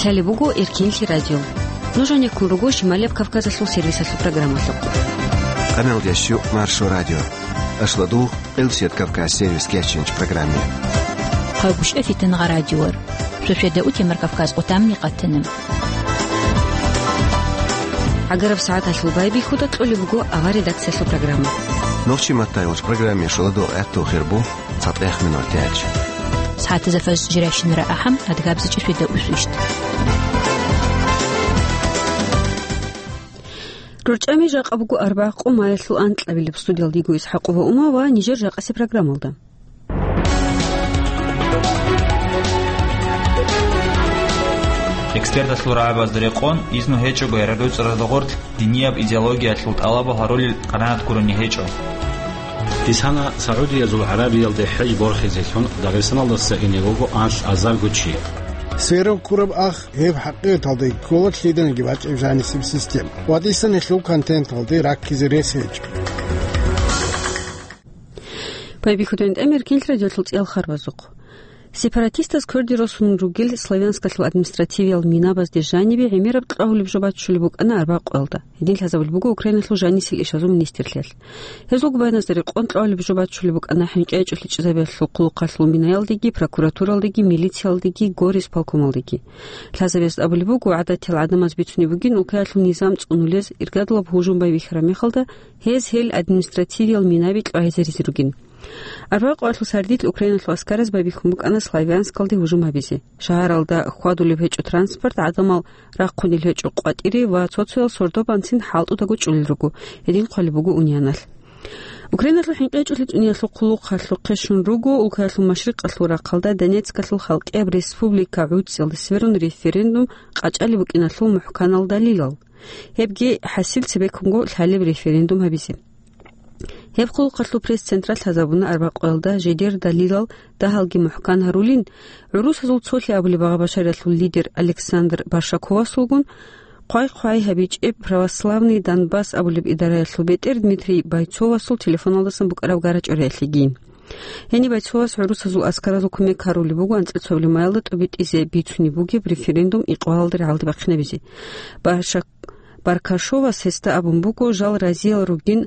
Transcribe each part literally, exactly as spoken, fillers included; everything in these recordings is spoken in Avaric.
Лъалеб буго Эркинлъи радио. Нуж гьанеккун руго Шималияб Кавказалъул сервисалъул программалъухъ. Къамелдящу Маршо радио. Ашладугъ, Къилсият Кавказ сервис кеченч программе. Хъагушев Фитангъа радиор. Шошеда утемар Кавказ отамни къатана. ГӀагараб сагӀаталъул байбихьуда кьолеб буго авар редакциялъул программа. Нохчи маттайгъуш программе шуладугъ гӀатту хирбу. ЦатӀех минут тяч. СагӀатазда фаз жирайщинара ахӀам, адгабзичӀеб шуйда усвищт. РорчӀами жакъа буго арбагъ къо маялъул анкьабилеб. Студиялда йиго ИсхӀакъова Ума ва нижер жакъаси программалда. Эксперталъул рагӀабазда рекъон, изну гьечӀого ярадуцӀарада гъорлъ динияб идеологиялъул тӀалабал гьарулел къанагӀат гурони гьечӀо. Исана Саудиязул ГӀарабиялде хӀеж борхизелъун Дагъистаналдаса ине вуго анлъ азарго чи. Сверун ккураб ах гьеб хӀакъикъаталда ккола лъиданиги бачӀеб жанисеб система. Ва дисан гьелъул контенталде раккизе рес гьечӀо. Байбихьудин тӀамер кинлъ радиолъул цӀиял харбазухъ. Сепаратистаз кверде росун ругел Славянскалъул административиял минабазде жанибе гӀемераб кьвагьулеб жо баччулеб букӀана арбагъ къоялда. Гьедин лъазабулеб буго Украиналъул жанисел ишазул министрлъиялъ. Гьезул губайназда рекъон кьвагьулеб жо баччулеб букӀана хӀинкъи-гьечӀолъи чӀезабиялъул хъулухъалъул минаялдеги, прокуратуралдеги, милициялдеги, горисполкомалдеги. Лъазабиясда абулеб буго, гӀадатиял гӀадамаз бицунеб бугин улкаялъул низам цӀунулез иргадулаб гьужум байбихьараб мехалда, гьез гьел административиял минаби кьвагьизаризе ругин. Арбагъ къоялъул сардилъ Украиналъул аскараз байбихьун букӀана Славянскалде гьужум гьабизе. Шагьаралда хьвадулеб гьечӀо транспорт, гӀадамал рахъунел гьечӀо къватӀире ва цо-цоял сордо-банцин хӀалтӀудаго чӀолел руго, гьедин хъвалеб буго унианалъ. Украиналъул хӀинкъи-гьечӀолъи цӀуниялъул хъулухъалъухъе щун руго улкаялъул машрикъалъул рахъалда Донецкалъул халкъияб республика гӀуцӀиялда сверун референдум къачӀалеб букӀиналъул мухӀканал далилал. Гьебги хӀасил цебеккунго лъалеб референдум гьабизе. Гьеб хъулухъалъул пресс-централъ лъазабуна арбагъ къоялда жидер далилал дагьалги мухӀкан гьарулин, гӀурусазул цолъи абулеб Багъа-Башариялъул лидер Александр Баршаковасулгун хъвай-хъвай гьабичӀеб Православный Донбасс абулеб идараялъул бетӀер Дмитрий Бойцовасул телефоналдасан букӀараб гара-чӀвариялъегийин. Гьениб Бойцовас гӀурусазул аскаразул кумек гьарулеб буго анцӀила цоабилеб маялда тӀубитӀизе бицунеб бугеб референдум икъвалалда рагӀалде бахъинабизе. Барша-, Баркашовас гьесда абун буго, жал разиял ругин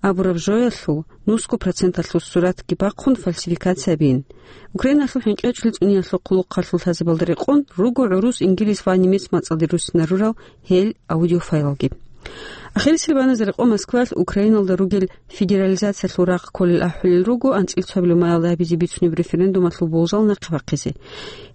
абураб жоялъул нусго проценталъул суратги бахъун фальсификация гьабин. Украиналъул хӀинкъи-гьечӀолъи цӀуниялъул хъулухъалъул лъазабалда рекъон руго гӀурус, ингилис ва немец мацӀалде руссинарурал гьел аудиофайлалги. Ахирисел баназда рекъон Москваялъ Украиналда ругел федерализациялъул рахъ кколел ахӀулел руго анцӀила цоабилеб маялда гьабизе бицунеб референдумалъул болжал нахъе бахъизе.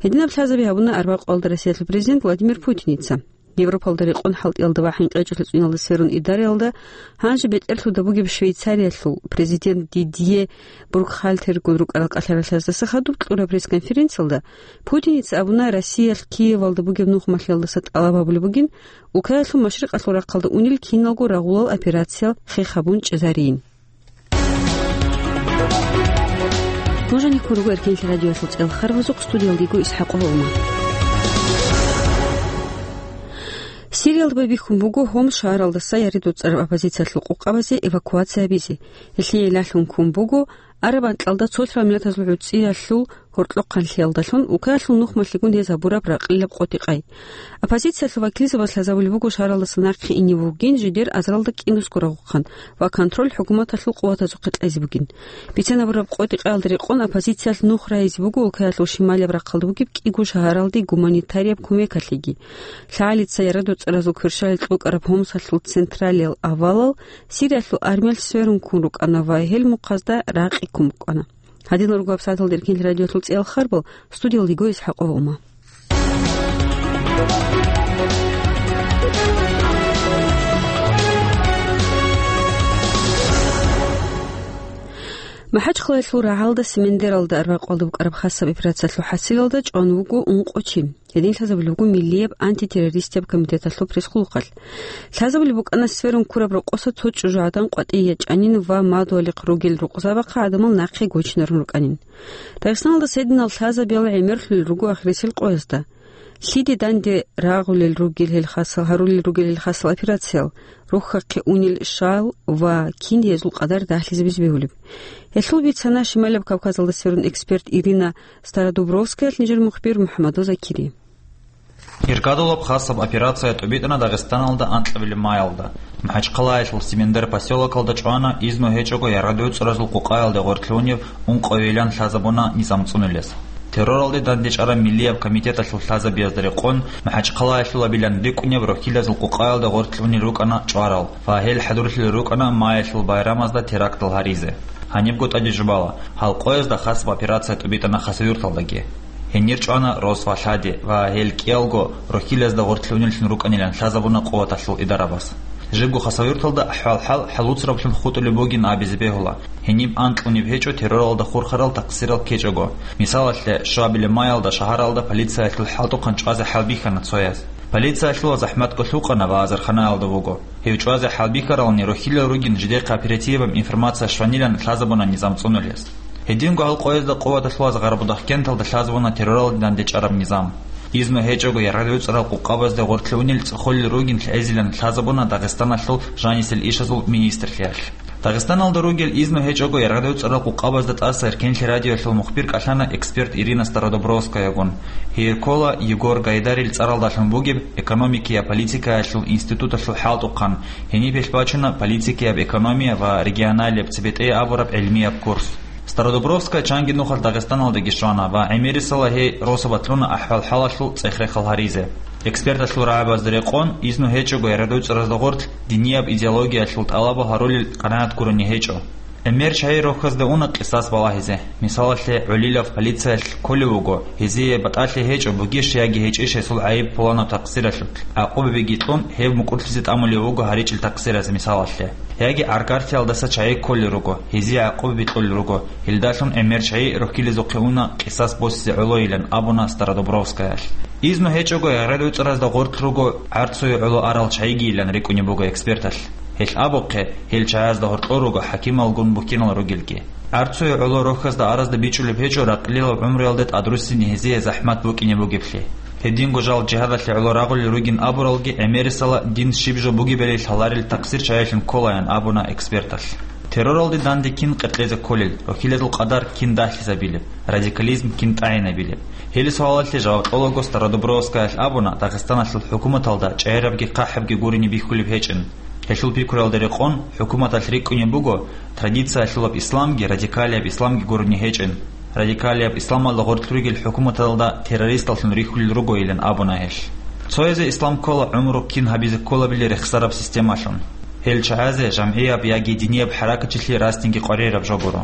Гьединаб лъазаби гьабуна арбагъ къоялда Россиялъул президент Владимир Путиница. Европалда рекъон хӀалтӀиялда ва хӀинкъи-гьечӀолъи цӀуниялда сверун идараялда гьанже бетӀерлъуда бугеб Швейцариялъул президент Дидье Буркхальтергун рукӀарал кӀалъаралъаздаса хадуб кьураб пресс-конференциялда Путиница абуна, Россиялъ Киевалда бугеб нухмалъиялдаса тӀалаб гьабулеб бугин, улкаялъул машрикъалъул рахъалда унел киналго рагъулал операциял хех гьабун чӀезарийин. Нуж гьанеккун руго Эркенлъи радиоялъул цӀел харбазухъ, студиялда йиго ИсхӀакъова Ума. Сириялда байбихьун буго Хомс шагьаралдаса яри доцӀараб оппозициялъул къукъабазе эвакуация гьабизе. Гьелъие лъалъун ккун буго араб анкьалда цолъарал миллатазул гӀуцӀиялъул гьоркьохъанлъиялдалъун, улкаялъул нухмалъигун гьез гьабураб ракъилаб къотӀи-къай. Оппозициялъул вакилзабаз лъазабулеб буго шагьаралдаса нахъе ине вугин жидер азаралда кӀинусго рагъухъан ва контроль хӀукуматалъул къуватазухъе кьезе бугин. Бицен гьабураб къотӀи-къаялда рекъон оппозициялъ нух райизе буго улкаялъул шималияб рахъалда бугеб кӀиго шагьаралде гуманитарияб кумекалъеги. ЛъагӀалица яра доцӀаразул кверщалил кьукӀараб Хомсалъул централиял авалал Сириялъул армиялъ сверун ккун рукӀана ва гьел мухъазда ракъи ккун букӀана. Гьадинал руго гьабсагӀаталда Эркенлъи радиоялъул цӀиял харбал, студиялда йиго ИсхӀакъова Ума. МахӀачхъалаялъул рагӀалда Семендералда арбакъалда букӀараб хасаб операциялъул хӀасилалда чӀван вуго ункъо чи. Гьедин лъазабулеб буго Миллияб антитеррористияб комитеталъул пресс-хъулухъалъ. Лъазабулеб букӀана сверун ккураб рокъоса цо чӀужугӀадан къватӀие ячӀанин ва мадугьалихъ ругел рукъзабахъа гӀадамал нахъе гочинарун рукӀанин. Дагъистаналдаса гьединал лъазабиял гӀемерлъулел руго ахирисел къоязда. Лъиде данде рагъулел ругел гьел хасал, гьарулел ругел гьел хасал операциял, рухьахъе унел шал ва кин гьезул къадар дагьлъизабизе бегьулеб. Гьелъул бицана Шималаб Кавказалда сверун эксперт Ирина Стародубровскаялъ нижер мухбир МухӀаммадов Закири. Иргадулаб хасаб операция тӀубитӀана Дагъистаналда анкьабилеб маялда. МахӀачхъалаялъул Симендер поселокалда чӀвана изну гьечӀого яргъад-гӀуцӀразул къукъаялде гъоркьлъунев ункъоялъ лъазабуна низам цӀунулес. Терроралде дандечӀараб миллияб комитеталъул лъазабиязда рекъон, МахӀачхъалаялъулабилан рикӀкӀунеб рохьилазул къукъаялда гъоркьлъунел рукӀана чӀварал ва гьел хӀадурлъулел рукӀана маялъул байрамазда терактал гьаризе. Гьанибго тӀаде жубала, гьал къоязда хасаб операция тӀубитӀана Хасавюрталдаги. Гьенир чӀвана рос ва лъади ва гьел кӀиялго рохьилазда гъоркьлъунеллъун рукӀанилан лъазабуна къуваталъул идарабаз. Жибго Хасавюрталда ахӀвал-хӀал хӀалуцраблъун хутӀулеб бугин абизе бегьула. Гьениб анкьунеб гьечӀо терроралда хурхарал такъсирал ккечӀого. Мисалалъе, щуабилеб маялда шагьаралда полициялъул хӀалтӀухъан чӀвазе хӀалбихьана цояз. Полициялъула захӀматго лъукъана ва азарханаялда вуго. Гьев чӀвазе хӀалбихьарални рохьилал ругин жидехъе оперативаб информация щванилан лъазабуна низам цӀунулес. Гьединго гьал къоязда къуваталъулаз Гъарбудахкенталда лъазабуна терроралде дандечӀараб низам. Изну гьечӀого яргъад-гӀуцӀрал къукъабазде гъоркьлъунел цӀехолел ругин лъезилан лъазабуна Дагъистаналъул жанисел ишазул министрлъиялъ. Дагъистаналда ругел изну гьечӀого яргъад-гӀуцӀрал къукъабазда тӀаса Эркенлъи радиоялъул мухбир кӀалъана эксперт Ирина Стародубровскаягун. Гьей ккола Егор Гайдарил цӀаралдалъун бугеб экономикия политикаялъул институталъул хӀалтӀухъан, гьениб гьелъ бачуна политикияб экономия ва регионалияб цебетӀей абураб гӀилмияб курс. Стародубровская чанги нухалъ Дагъистаналдаги щвана ва гӀемерисела гьей росабалъ руна ахӀвал-хӀалалъул цӀех-рехал гьаризе. Эксперталъул рагӀабазда рекъон, изну гьечӀого яргъад-гӀуцӀразда гъоркь динияб идеологиялъул тӀалабал гьарулел къанагӀат гурони гьечӀо. ГӀемер чагӀи рохьазда уна къисас балагьизе. Мисалалъе, гӀолилав полициялъ кколев вуго, гьезие батӀалъи гьечӀо бугищ яги гьечӀищ гьесул гӀайиб пуланаб такъсиралъулъ. ГӀакъубабиги кьун, гьев мукӀурлъизе тӀамулев вуго гьаричӀел такъсиразе, мисалалъе. Яги гӀаргарлъиялдаса чагӀи кколел руго, гьезие гӀакъубаби кьолел руго, гьелдалъун гӀемер чагӀи рохьилезухъе уна къисас босизе гӀолойилан абуна Стародубровскаялъ. Изну гьечӀого яргъад-гӀуцӀразда гъоркь руго гӀарцуе гӀоло арал чагӀигийилан рикӀкӀунеб буго эксперталъ. Гьелъ абухъе, гьел чагӀазда гьоркьор руго хӀакималгун букинал ругелги. ГӀарцуе гӀоло рохьазда аразда бичӀчӀулеб гьечӀо ракълилал гӀумруялде тӀадруссине гьезие захӀмат букӀине бугеблъи. Гьединго жал жигьадалъе гӀоло рагъулел ругин абуралги, гӀемерисела дин щиб жо бугебали лъаларел такъсир чагӀилъун кколаян абуна эксперталъ. Терроралде данде кин къеркьезе кколел, рохьилазул къадар кин дагьлъизабилеб, радикализм кин тӀагӀинабилеб? Гьел суалалъе жаваб кьолаго Стародубровскаялъ абуна, Дагъистаналъул хӀукуматалда чӀегӀерабги хъахӀабги гурони бихьулеб гьечӀин. Гьелъул пикруялда рекъон, хӀукуматалъ рикӀкӀунеб буго традициялъулаб исламги радикалияб исламги гурони гьечӀин. Радикалияб исламалда гъоркь ругел хӀукуматалда террористаллъун рихьулел ругойилан абуна гьелъ. Цоязе ислам ккола гӀумру кин гьабизе кколабили рехсараб системалъун. Гьел чагӀазе жамгӀияб яги динияб хӀаракатчилъи расниги къваригӀараб жо гуро.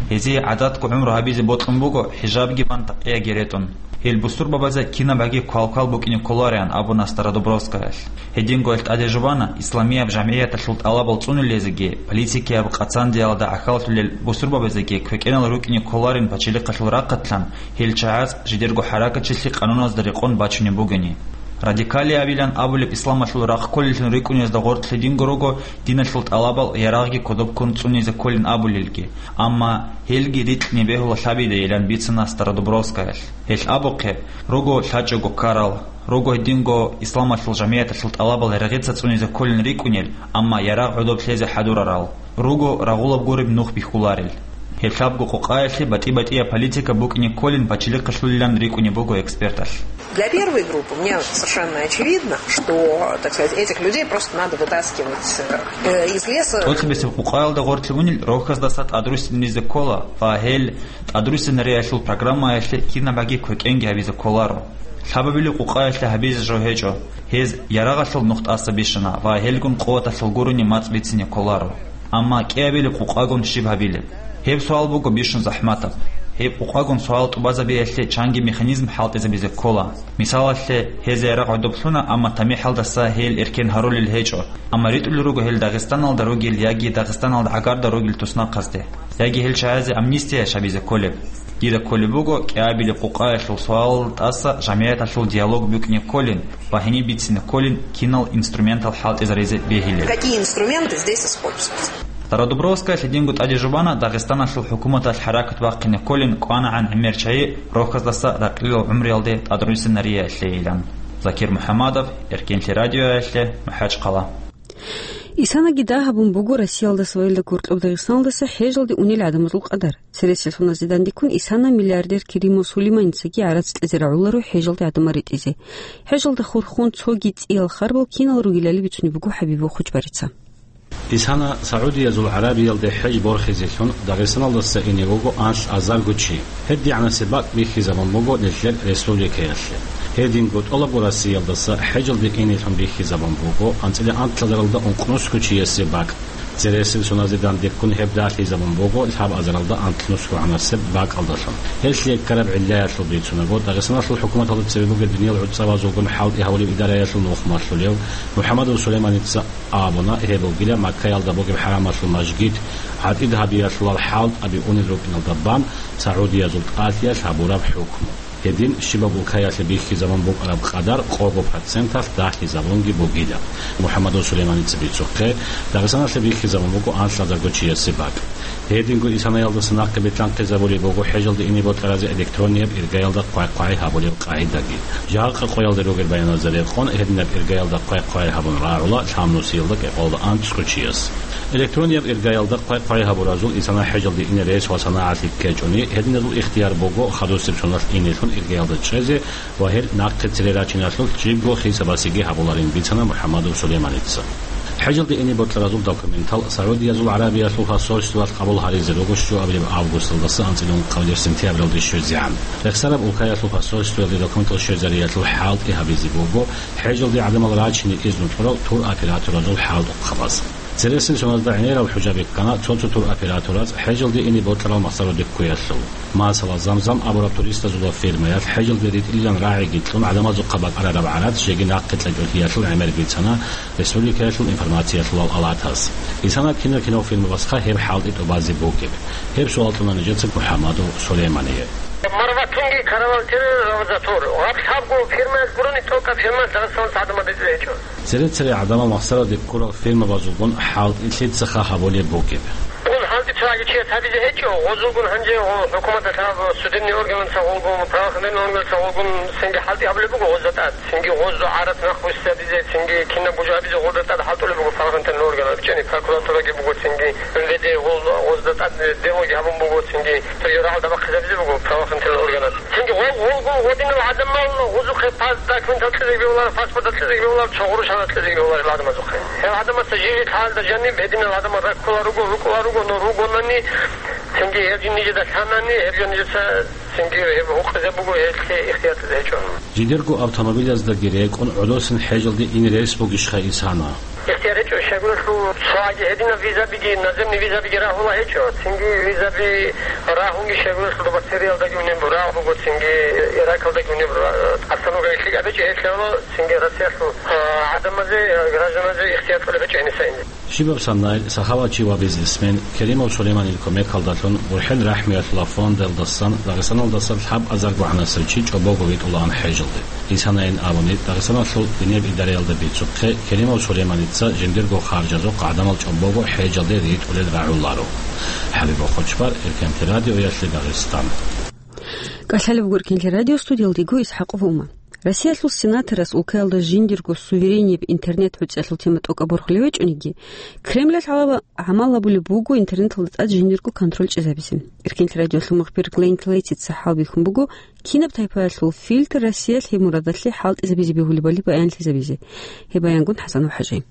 Гьезие гӀадатго гӀумру гьабизе бокьун буго хӀижабги бан такъияги ретӀун. Гьел бусурбабазе кинаб гӀаги квал-квал букӀине кколареан абуна Стародубровскаялъ. Гьединго гьелъ тӀаде жубана, исламияб жамгӀияталъул тӀалабал цӀунулезеги, политикияб къацандиялда гӀахьаллъулел бусурбабазеги квекӀенал рукӀине кколарин пачалихъалъул рахъатлъан, гьел чагӀаз жидерго хӀаракатчилъи къануназда рекъон бачунеб бугони. Радикалиябилан абулеб исламалъул рахъ кколеллъун рикӀкӀунезда гъоркь лъидинго руго диналъул тӀалабал ярагъги кодоб ккун цӀунизе кколин абулелги, амма гьелги рикьни бегьула лъабидайилан бицана Стародубровскаялъ. Гьелъ абухъе, руго лъачӀого ккарал, руго гьединго исламалъул жамгӀияталъул тӀалабал регъица цӀунизе кколин рикӀкӀунел, амма ярагъ гӀодоб лъезе хӀадурарал, руго рагъулаб гуреб нух бихьуларел. Гьеб лъабго къукъаялъе батӀи-батӀияб политика букӀине кколин пачалихъалъулилан рикӀкӀунеб буго эксперталъ. Для первой группы мне совершенно очевидно, что, так сказать, этих людей просто надо вытаскивать э, из леса. ТӀоцебесеб къукъаялда гъоркье унел рохьаздаса тӀадруссинаризе ккола ва гьел тӀадруссинариялъул программаялъе кинаб гӀаги квекӀенги гьабизе кколаро. Лъабабилеб къукъаялъе гьабизе жо гьечӀо. Гьез ярагъалъул нух тӀаса бищана ва гьелгун къуваталъул гурони мацӀ бицине кколаро. Амма кӀиабилеб къукъагун щиб гьабилеб? Гьеб суал буго бищун захӀматаб. Гьеб къукъагун суал тӀубазабиялъе чанги механизм хӀалтӀизабизе ккола. Мисалалъе, гьез ярагъ гӀодоблъуна, амма тамихӀалдаса гьел эркен гьарулел гьечӀо. Амма ритӀулел руго гьел Дагъистаналда ругел яги Дагъистаналда гӀагарда ругел туснахъазде, яги гьел чагӀазе амнистия шабизе кколеб. Дида кколеб буго, кӀиабилеб къукъаялъул суалал тӀаса жамгӀияталъул диалог букӀине кколин ва гьениб бицине кколин кинал инструментал хӀалтӀизаризе бегьилел. Какие инструменты здесь используются? Стародубровская лъидинго тӀаде жубана Дагъистаналъул хӀукуматалъ хӀаракат бахъине кколин кӀванагӀан гӀемер чагӀи рохьаздаса ракълилал гӀумруялде тӀадруссинариялъейилан. Закир МухӀаммадов, Эркенлъи радиоялъе, МахӀачхъала. Исанаги дагь гьабун буго Россиялдаса ва гьелда гьоркьоб Дагъистаналдаса хӀежалде унел гӀадамазул къадар. Цересел соназе дандеккун Исана миллиардер Керимов Сулейманицаги гӀарац кьезе рагӀуларо хӀежалде гӀадамал ретӀизе. ХӀежалда хурхун цоги цӀиял харбал кинал ругелали бицунеб буго ХӀабибул Хучбарица. Исана Саудиязул ГӀарабиялде хӀеж борхизелъун Дагъистаналдаса ине вуго анлъазарго чи. ГьедигӀанасеб бакӀ бихьизабун буго нилъер республикаялъе. Гьединго тӀолабго Россиялдаса хӀежалде инелъун бихьизабун буго анцӀила анлъазаралда ункънусго чиясе бакӀ. Цересел соназе дандеккун гьеб дагьлъизабун буго лъабазаралда анлънусгогӀанасеб бакӀалдалъун. Гьелъие ккараб гӀиллаялъул бицунаго, Дагъистаналъул хӀукуматалда цебе бугеб диниял гӀуцӀабазулгун хӀалтӀи гьавулеб идараялъул нухмалъулев МухӀаммадов Сулейманица абуна, гьеб бугила Маккаялда бугеб хӀарамалъул мажгит гӀатӀид гьабиялъулал хӀалтӀаби унел рукӀиналда бан Саудиязул тӀалъиялъ гьабураб хӀукму. Гьедин щибаб улкаялъе бихьизабун букӀараб къадар къого проценталъ дагьлъизабунги бугила. МухӀаммадов Сулейманица бицухъе, Дагъистаналъе бихьизабун буго анлъазарго чиясе бакӀ. Гьединго Исанаялдаса нахъе бетӀлъанхъизабулеб буго хӀежалде ине бокьаразе электронияб иргаялда хъвай-хъвай гьабулеб къагӀидаги. Жакъа къоялда ругел баяназда рекъон, гьединаб иргаялда хъвай-хъвай гьабун рагӀула лъабнусиялда кӀикъоялда анцӀго чияс. Электронияб иргаялда хъвай-хъвай гьабуразул Исана хӀежалде ине рес ва санагӀалъи ккечӀони, гьединазул ихтияр буго хадусеб соналъ инелъун иргаялда чӀезе ва гьел нахъе цере рачиналъулъ жибго хисабасеги гьабуларин, бицана МухӀаммадов Сулейманица. ХӀежалде ине бокьаразул документал Саудиязул ГӀарабиялъул посольствоялъ къабул гьаризе руго щуабилеб августалдаса анцӀила ункъабилеб сентябралде щвезегӀан. Рехсараб улкаялъул посольствоялде документал щвезариялъул хӀалтӀи гьабизе буго хӀежалде гӀадамал рачине изну кьурал туроператоразул хӀалтӀухъабаз. Цересел соназда гӀемерал хӀужа бихьана цо-цо туроператораз хӀежалде ине бокьарал махсароде ккуялъул. Масала, Замзам абураб туристазул фирмаялъ хӀежалде ритӀилилан рагӀиги кьун гӀадамазухъа бакӀарараб гӀарац жеги нахъе кьечӀолъиялъул гӀемер бицана республикаялъул информациялъулал палатас. Исана кинав-кинав фирмабасха гьеб хӀалтӀи тӀубазе бугеб? Гьеб суал кьуна нижеца МухӀаммадов Сулеймание. Марватунги каравал тире равзатур. Гьаб лъабго фирмаялъ гурони тӀокӀаб фирма Дагъистаналъ гӀадамал ритӀулел гьечӀо. Цере-цере гӀадамал махсароде ккурал фирмабазулгун хӀалтӀи лъицаха гьабулеб бугеб? Гьалде цоги чияс гьабизе гьечӀо, гъозулгун гьанже гъо-, хӀукуматалъ гьаб судебный органаца гъолгун, правоохранительный органаца гъолгун цинги хӀалтӀи гьабулеб буго гъозда тӀад. Цинги гъозда гӀарац нахъ вуссабизе, цинги кинаб бужабизе гъолда тӀад хӀалтӀулеб буго правоохранительный орган, бичӀчӀани прокуратураги буго, цинги МВД гъол-, гъозда тӀад делоги гьабун буго, цинги цоги рагӀалда бахъизабизе буго правоохранительный органаца. Цинги гъол-, гъолгун гъодинал гӀадамал гъозухъе пас-, документал кьезеги бегьуларо, паспорт кьезеги бегьуларо, цо гъурущ гьанас кьезеги бегьуларо гьадамазухъе. Гьел гӀадамаца жиги лъалда жаниб гьединал гӀадамал раккула руго, рукӀула руго, но ругонани, цинги гьел жиндиеда лъанани, гьел жиндиеца цинги гьеб гьукъизе буго, гьелъе ихтияр кьезе гьечӀо. Жидерго автомобилаздаги рекӀун гӀодосин хӀежалде ин рес бугищха Исана? Ихтияр гьечӀо, щайгурелъул цоаги гьединаб визабиги, наземный визабиги рагьула гьечӀо, цинги визаби рагьунги щайгурелъул доба Сириялдаги унеб рагь буго, цинги Иракалдаги унеб ра-, остановка гьелъи абечӀо гьелъ гьавула, цинги Россиялъул, а, гӀадамазе, гражданазе ихтияр кьолеб гьечӀо гьениса инде. Щибаб санай, сахаватчи ва бизнесмен Керимов Сулейманил кумекалдалъун, БурхӀен-рахӀмуялъула фондалдасан Дагъистаналдаса лъабазарго гӀанасев чи чӀобого витӀулаан хӀежалде. Исанайин абуни, Дагъистаналъул гьениб идараялда бицухъе, Керимов Сулейманица жиндирго харжазухъ гӀадамал чӀобого хӀежалде ритӀулел рагӀуларо. ХӀабиб Хочбар, Эркенти радиоялъе Дагъистан. КӀалъалеб буго Эркенти радио, студиялдего ИсхӀакъов Ума. Россиялъул сенаторас улкаялда жиндирго суверенияб интернет гӀуцӀиялъул тема тӀокӀаб борхулев гьечӀониги, Кремлалъ гьалаб гӀамал гьабулеб буго интернеталда тӀад жиндирго контроль чӀезабизе. Эркенти радиолъул мухбир Глен Клейтица хӀалбихьун буго, кинаб тайпаялъул фильтр Россиялъ гьеб мурадалъе хӀалтӀизабизе бегьулебали баянлъизабизе. Гьеб баянгун ХӀасан ва ХӀажи.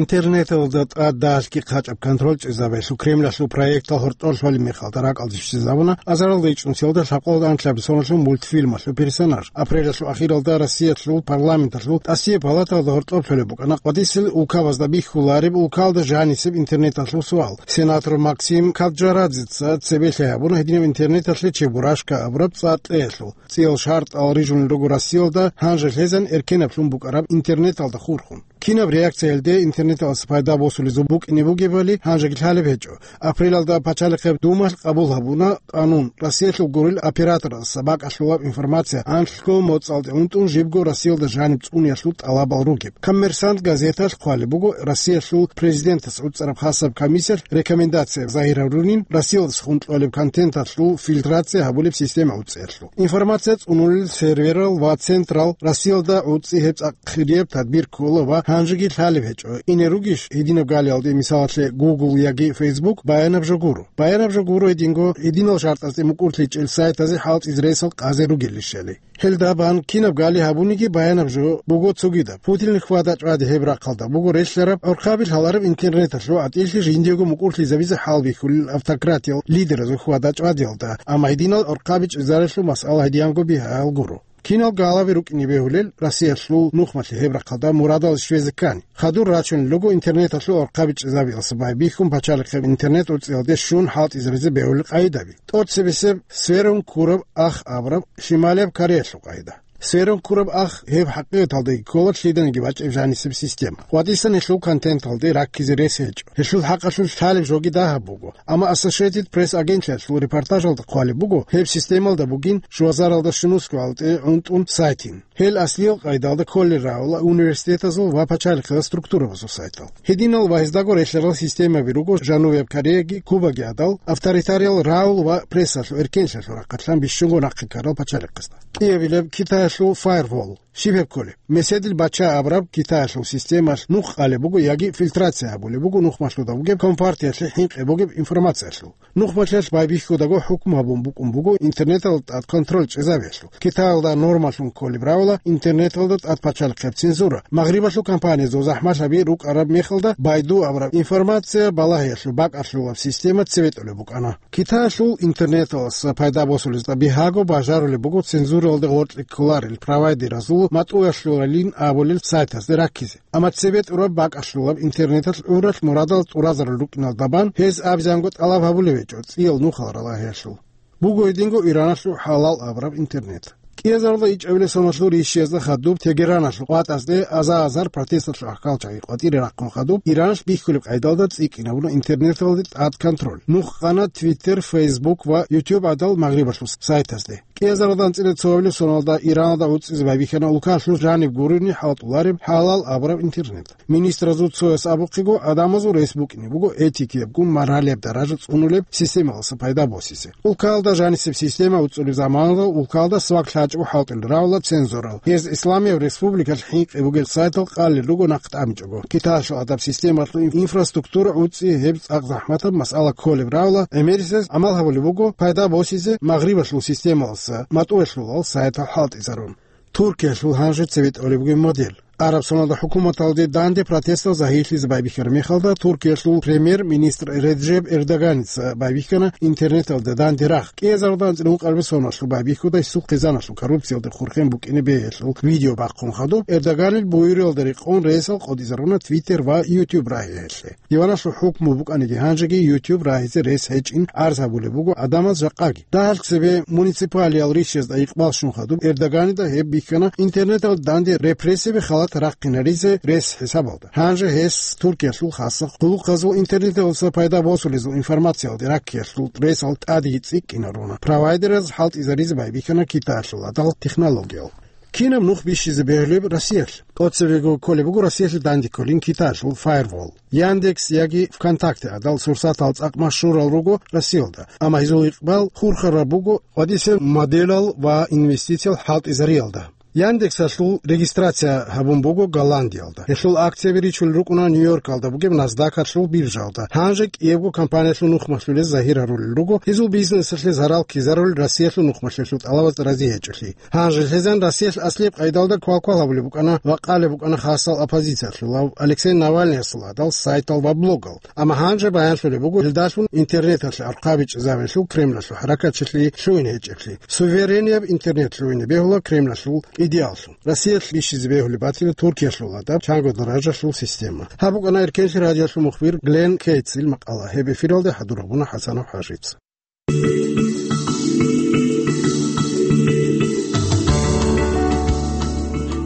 Интернеталда тӀад дагьалъги хъачӀаб контроль чӀезабиялъул Кремлалъул проектал гьоркьор лъолеб мехалда ракӀалде щвезабуна азаралда ичӀнусиялда лъабкъоялда анлъабилеб соналъул мультфильмалъул персонаж. Апрелалъул ахиралда Россиялъул парламенталъул тӀасияб палаталда гьоркьоб лъолеб букӀана къватӀисел улкабазда бихьулареб улкалда жанисеб интернеталъул суал. Сенатор Максим Каджарадзеца цебелъи гьабуна гьединаб интернеталъе чебурашка абураб цӀа кьеялъул. ЦӀиял шартӀал рижунел руго Россиялда гьанже лъезан эркенаблъун букӀараб интернеталда хурхун. Кинаб реакция гьелде интернеталдаса пайда босулезул букӀине бугебали гьанжеги лъалеб гьечӀо. Апрелалда Пачалихъеб Думалъ къабул гьабуна къанун, Россиялъул гурел операторалдаса бакӀалъулаб информация анлъго моцӀалде унтун жибго Россиялда жаниб цӀуниялъул тӀалабал ругеб. Коммерсант газеталъ хъвалеб буго, Россиялъул президентас гӀуцӀараб хасаб комиссиялъ рекомендация загьир гьарунин, Россиялдаса хун кьолеб контенталъул фильтрация гьабулеб система гӀуцӀиялъул. Информация цӀунулел серверал ва централ Россиялда гӀуцӀи гьеб цӀакъ хирияб тадбир ккола ва Гьанжеги лъалеб гьечӀо, ине ругищ гьединаб галиялде, мисалалъе, Google яги Facebook, баянаб жо гуро. Баянаб жо гуро гьединго, гьединал шартӀазде мукӀурлъичӀел сайтазе хӀалтӀизе ресал къазе ругелищали. Гьелда бан кинаб гали гьабуниги баянаб жо буго цогидаб. Путинил хьвада-чӀвади гьеб рахъалда буго релълъараб, гӀорхъаби лъалареб интернеталъул гӀатӀилъи жиндиего мукӀурлъизабизе хӀалбихьулел автократиял лидеразул хьвада-чӀвадиялда, амма гьединал гӀорхъаби чӀезарелъул масъала гьедиянго бигьаял гуро. Кинал галаби рукӀине бегьулел, Россиялъул нухмалъе гьеб рахъалда мурадал щвезе ккани. Хадур рачунел руго интернеталъул гӀорхъаби чӀезабиялса байбихьун пачалихъеб интернет-урцӀиялде щун хӀалтӀизаризе бегьулел къагӀидаби. ТӀоцебесеб Сверун Кураб Ах абураб Шималияб Кореялъул къагӀида. Сверун Кураб Ах гьеб хӀакъикъаталдаги ккола лъиданиги бачӀеб жанисеб система. ВатӀисан гьелъул контенталде раккизе рес гьечӀо. Гьелъул хӀакъалъулъ лъалеб жоги дагьаб буго. Амма Associated Press агентлъиялъул репортажалда хъвалеб буго, гьеб системалда бугин жугьазаралда щунусго гьалтӀе гӀунтӀун сайтин. Гьел аслиял къайдалда кколел равала университетазул ва пачалихъала структурабазул сайтал. Гьединал ва гьездаго релълъарал системаби руго Жанубияб Кореяги Кубаги гӀадал, авторитариял равал ва прессалъул эркенлъиялъул рахъалъан бищунго нахъе ккарал пачалихъазда. КӀиабилеб Китаялъул Firewall. Щиб гьеб кколеб? Меседил бача абураб Китаялъул системалъ нух къалеб буго яги фильтрация гьабулеб буго нухмалъуда бугеб компартиялъе хӀинкъи бугеб информациялъул. Нухмалъиялъ байбихьудаго хӀукму гьабун букӀун буго интернеталда тӀад контроль чӀезабиялъул. Китаялда нормалъун кколеб равала интернеталда тӀад пачалихъеб цензура. Магърибалъул компаниязул захӀмалъаби рукӀараб мехалда Байду абураб информация балагьиялъул бакӀалъулаб система цебетӀулеб букӀана. Китаялъул интернеталъ пайда босулезда бигьаго бажарулеб буго цензуралде гъоркье кколарел провайдеразул матӀуялъулалин абулел сайтазде раккизе. Амма цебетӀураб бакӀалъулаб интернеталъ гӀуралъ мурадал тӀуразарул рукӀиналда бан гьез абизанго тӀалаб гьабулеб гьечӀо цӀиял нухал ралагьиялъул. Буго гьединго Ираналъул ХӀалал абураб интернет. КӀиазарда ичӀабилеб соналъул рищиязда хадуб Тегераналъул къватӀазде аза-азар протесталъул гӀахьалчагӀи къватӀире рахъун хадуб Ираналъ бихьулеб къайдалда цӀикӀкӀинабуна интернеталде тӀад контроль. Нух къана Twitter, Facebook ва YouTube гӀадал Магърибалъул сайтазде. КӀиазарда анцӀила цоабилеб соналда Ираналда гӀуцӀизе байбихьана улкалъул жаниб гурони хӀалтӀулареб ХӀалал абураб интернет. Министразул цояс абухъего, гӀадамазул рес букӀине буго этикиябгун маргьалияб даража цӀунулеб системалъа пайда босизе. Улкалда жанисеб система уцӀулеб заманалда улкалда свак лъачӀого хӀалтӀулел равала цензурал. Гьез Исламияб республикалъ хӀинкъи бугел сайтал къалел руго нахъ тӀамичӀого. Китаялъул гӀадаб системалъул инфраструктура гӀуцӀи гьеб цӀакъ захӀматаб масъала кколеб равала, гӀемерисез гӀамал гьабулеб буго пайда босизе Магърибалъул системалъа матӀуялъулал сайтал хӀалтӀизарун. Туркиялъул гьанже цебетӀолеб бугеб модель. Араб соналда хӀукуматалде данде протестал загьирлъизе байбихьараб мехалда, Туркиялъул премьер-министр Реджеп Эрдоганица байбихьана интернеталда данде рагъ. КӀиазарда анцӀила ункъабилеб соналъул байбихьуда гьесул хъизаналъул коррупциялде хурхен букӀине бегьиялъул видео бахъун хадуб, Эрдоганил буюриялда рекъон ресал къотӀизаруна Twitter ва YouTube рагьиялъе. Диваналъул хӀукму букӀаниги гьанжеги YouTube рагьизе рес гьечӀин гӀарз гьабулеб буго гӀадамаз жакъаги. Дагьал цебе муниципалиял рищазда икъбал щун хадуб, Эрдоганида гьеб бихьана интернеталда данде репрессияби халат рахъинаризе рес хӀисабалда. Гьанже гьес Туркиялъул хасаб хъулухъазул интернеталъа пайда босулезул информациялде раккиялъул ресал тӀадеги цӀикӀкӀинаруна. Провайдераз хӀалтӀизаризе байбихьана Китаялъул гӀадал технологиял. Кинаб нух бищизе бегьулеб Россиялъ? ТӀоцебего кколеб буго Россиялъе данде кколин Китаялъул Firewall. Яндекс яги ВКонтакте гӀадал сурсатал цӀакъ машгьурал руго Россиялда, амма гьезул икъбал хурхараб буго къватӀисел моделал ва инвестициял хӀалтӀизариялда. Яндексалъул регистрация гьабун буго Голландиялда. Гьелъул акцияби ричулел рукӀуна Нью-Йоркалда бугеб Насдакалъул биржаялда. Гьанже кӀиябго компаниялъул нухмалъулез загьир гьарулел руго гьезул бизнесалъе зарал ккезарулел Россиялъул нухмалъулъул тӀалабазда рази гьечӀолъи. Гьанже лъезан Россиялъ аслияб къайдалда квалквал гьабулеб букӀана ва къалеб букӀана хасал оппозициялъулав Алексей Навальныясул гӀадал сайтал ва блогал. Амма гьанже баянлъулеб буго гьелдалъун интернеталъе архъабичӀезабиялъул Кремлалъул хӀаракатчилъи лъугьине гьечӀеблъи. Суверенияб интернет лъугьине бегьула Кремлалъул идеаллъун. Россиялъ бищизе бегьулеб батила Туркиялъул гӀадаб чанго даражалъул система. Гьаб букӀана Эркенлъи радиолъул мухбир Глен Кейтсил макъала. Гьеб эфиралде хӀадурабуна ХӀасанов ХӀажица.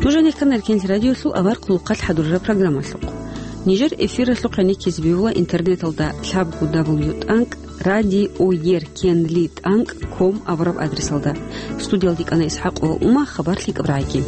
Нуж гьанир ккана Эркенлъи радиолъул авар хъулухъалъ хӀадурараб программалъухъ. Нижер эфиралъухъ гӀенеккизе бегьула интернеталда лъабго дабл ю тӀанкӀ радиоеркенли тӀанкӀ ком абураб адресалда. Студиялде кӀана ИсхӀакъова Ума, хабар лъикӀаб рагӀиги.